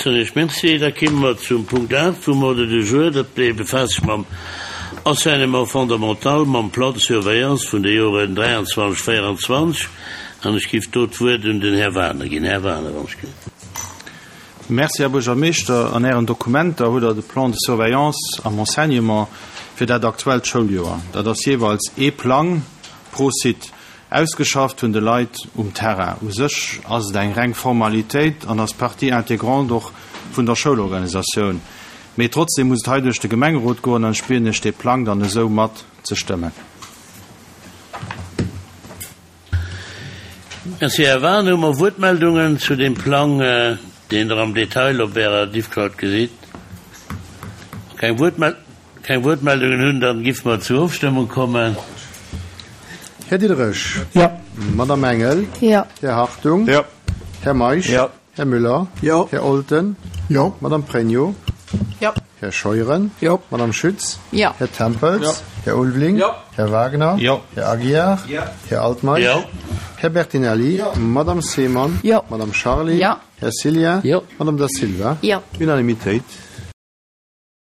soen Iech Merci. Da kimme mer zum Punkt 8 vum Ordre du jour. Dat dee befaasst sech mam Enseignement fondamental, mam Plan de surveillance vun de Joren 23, 24. An ech giff do d'Wuert un den Här Wagener ginn. Här Wagener, wann ech gelift. Merci, Här Buergermeeschter. An Ären Dokumenter hutt Der de Plan de surveillance am Enseignement fir dat aktuellt Schouljoer. Dat ass jeeweils ee Plang pro Site. Ausgeschafft hunn de Leit um Terrain. U sech ass et eng reng Formalitéit an ass Partie intégrante och vun der Schoulorganisatioun. Mee trotzdem muss et hei duerch de Gemengerot goen an ech bieden Iech dee Plang dann esou mat ze stëmmen. Merci, Här Wahn. Hu mer Wuertmeldungen zu deem Plang, deen Der am Detail op Ärer Diffcloud gesitt? Keng Wuertmel. Keng Wuertmeldungen hunn, dann giffe mer zur Ofstëmmung kommen. Här Diderich. Jo. Madame Engel. Jo. Här Hartung. Jo. Här Meisch. Jo. Här Müller. Jo. Här Olten. Jo. Madame Pregno. Jo. Här Scheuren. Jo. Madame Schütz. Jo. Här Tempels. Jo. Här Ulveling. Jo. Här Wagner. Jo. Här Aguiar. Jo. Här Altmeisch. Jo. Här Bertinelli. Jo. Madame Seemann. Jo. Madame Charly. Jo. Här Cillien. Jo. Madame Da Silva. Jo. Unanimitéit.